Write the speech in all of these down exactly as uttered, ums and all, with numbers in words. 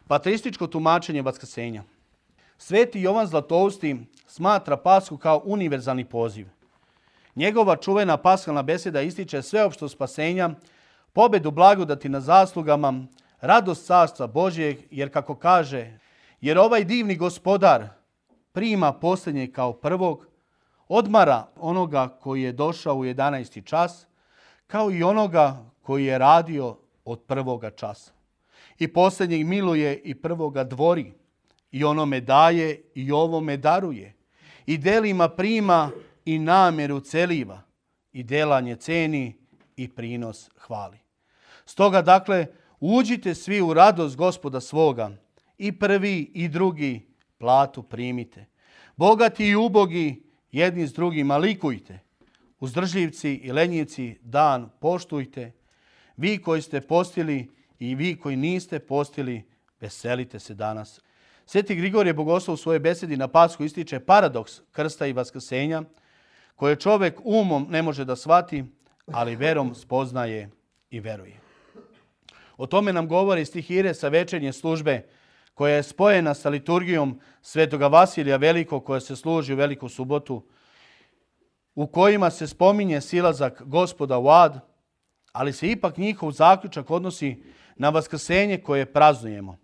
Pateističko tumačenje vaskrsenja. Sveti Jovan Zlatousti smatra Pashu kao univerzalni poziv. Njegova čuvena paskalna beseda ističe sveopšto spasenja, pobedu blagodati na zaslugama, radost carstva Božjeg, jer kako kaže, jer ovaj divni gospodar prima posljednjeg kao prvog, odmara onoga koji je došao u jedanaesti čas, kao i onoga koji je radio od prvoga časa. I posljednjeg miluje i prvoga dvori, i onome daje i ovome daruje, i delima prima i namjeru celiva, i delanje ceni i prinos hvali. Stoga dakle, uđite svi u radost Gospoda svoga, i prvi i drugi platu primite. Bogati i ubogi jedni s drugima likujte. Uzdržljivci i lenjivci dan poštujte. Vi koji ste postili i vi koji niste postili, veselite se danas. Sveti Grigorije Bogoslov u svojoj besedi na Pashu ističe paradoks krsta i vaskrsenja, koje čovjek umom ne može da shvati, ali verom spoznaje i veruje. O tome nam govori stihire sa večernje službe, koja je spojena sa liturgijom Svetoga Vasilija Velikog, koja se služi u Veliku subotu, u kojima se spominje silazak Gospoda u ad, ali se ipak njihov zaključak odnosi na vaskrsenje koje praznujemo.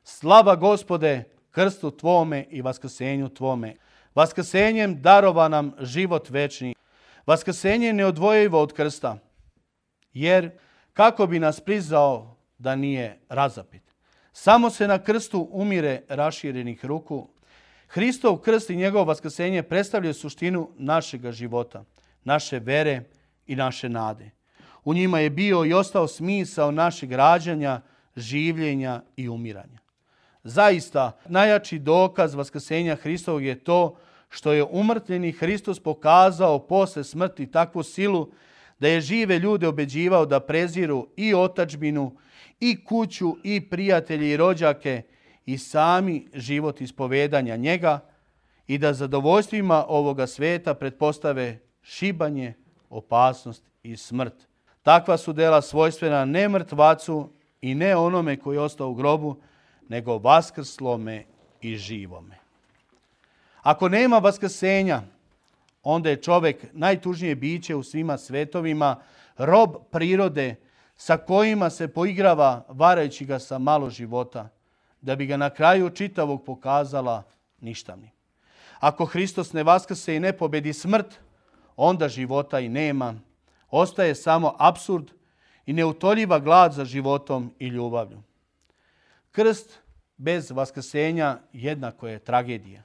Slava Gospode, krstu Tvome i vaskrsenju Tvome. Vaskrsenjem darova nam život večni. Vaskrsenje je neodvojivo od krsta, jer kako bi nas priznao da nije razapet. Samo se na krstu umire raširenih ruku. Hristov krst i njegovo vaskrsenje predstavljaju suštinu našega života, naše vere i naše nade. U njima je bio i ostao smisao našeg rađanja, življenja i umiranja. Zaista, najjači dokaz vaskrsenja Hristovog je to što je umrtvljeni Hristos pokazao posle smrti takvu silu da je žive ljude obeđivao da preziru i otadžbinu, i kuću, i prijatelje, i rođake, i sami život ispovedanja njega, i da zadovoljstvima ovoga sveta pretpostave šibanje, opasnost i smrt. Takva su dela svojstvena ne mrtvacu i ne onome koji je ostao u grobu, nego vaskrslome i živome. Ako nema vaskrsenja, onda je čovjek najtužnije biće u svima svetovima, rob prirode sa kojima se poigrava varajući ga sa malo života, da bi ga na kraju čitavog pokazala ništavnim. Ako Hristos ne vaskrse i ne pobedi smrt, onda života i nema. Ostaje samo apsurd i neutoljiva glad za životom i ljubavlju. Krst bez vaskrsenja jednako je tragedija.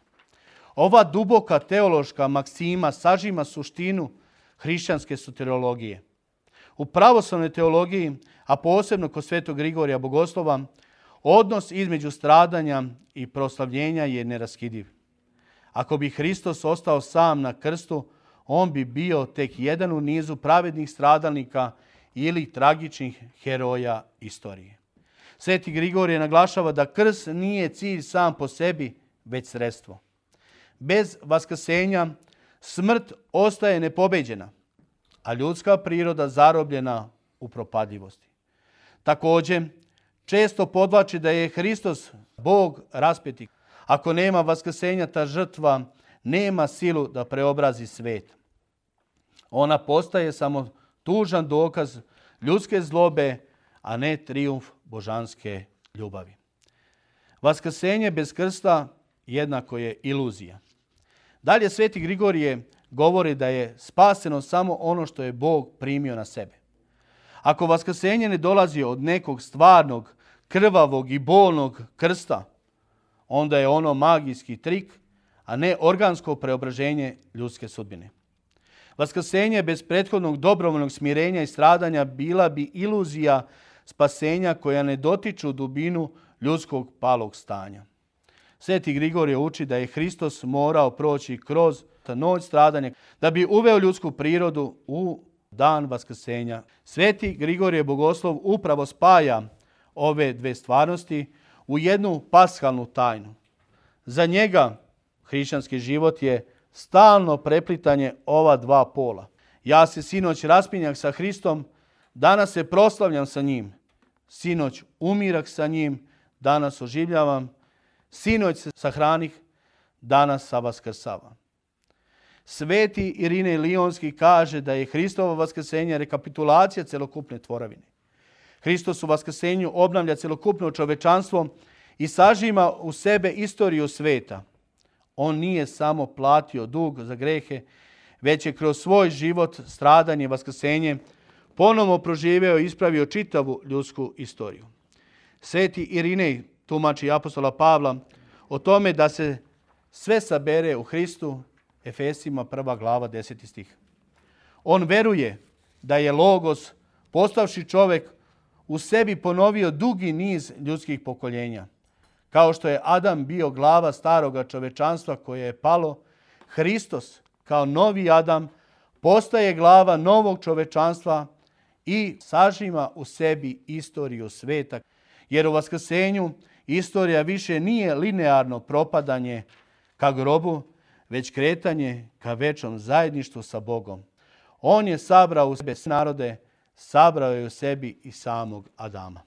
Ova duboka teološka maksima sažima suštinu hrišćanske soteriologije. U pravoslavnoj teologiji, a posebno kod Svetog Grigorija Bogoslova, odnos između stradanja i proslavljenja je neraskidiv. Ako bi Hristos ostao sam na krstu, on bi bio tek jedan u nizu pravednih stradalnika ili tragičnih heroja istorije. Sveti Grigorije naglašava da krst nije cilj sam po sebi, već sredstvo. Bez vaskrsenja smrt ostaje nepobeđena, a ljudska priroda zarobljena u propadljivosti. Također, često podvlači da je Hristos Bog raspeti. Ako nema vaskrsenja, ta žrtva nema silu da preobrazi svet. Ona postaje samo tužan dokaz ljudske zlobe, a ne trijumf božanske ljubavi. Vaskrsenje bez krsta jednako je iluzija. Dalje Sveti Grigorije govori da je spaseno samo ono što je Bog primio na sebe. Ako vaskrsenje ne dolazi od nekog stvarnog, krvavog i bolnog krsta, onda je ono magijski trik, a ne organsko preobraženje ljudske sudbine. Vaskrsenje bez prethodnog dobrovoljnog smirenja i stradanja bila bi iluzija spasenja koja ne dotiču dubinu ljudskog palog stanja. Sveti Grigorije uči da je Hristos morao proći kroz ta noć stradanja da bi uveo ljudsku prirodu u dan vaskrsenja. Sveti Grigorije Bogoslov upravo spaja ove dve stvarnosti u jednu paskalnu tajnu. Za njega hrišćanski život je stalno preplitanje ova dva pola. Ja se sinoć raspinjak sa Hristom, danas se proslavljam sa njim. Sinoć umirak sa njim, danas oživljavam, sinoć se sahranih, danas sa vaskrsavam. Sveti Irinej Lionski kaže da je Hristovo vaskrsenje rekapitulacija celokupne tvoravine. Hristos u vaskrsenju obnavlja celokupno čovečanstvo i sažima u sebe istoriju sveta. On nije samo platio dug za grehe, već je kroz svoj život, stradanje, vaskrsenje ponovno proživeo i ispravio čitavu ljudsku istoriju. Sveti Irinej tumači apostola Pavla o tome da se sve sabere u Hristu, Efesima prva glava deseti stih. On veruje da je Logos, postavši čovjek, u sebi ponovio dugi niz ljudskih pokoljenja. Kao što je Adam bio glava staroga čovečanstva koje je palo, Hristos kao novi Adam postaje glava novog čovečanstva i sažima u sebi istoriju sveta. Jer u vaskrsenju istorija više nije linearno propadanje ka grobu, već kretanje ka večnom zajedništvu sa Bogom. On je sabrao u sebe narode, sabrao je u sebi i samog Adama.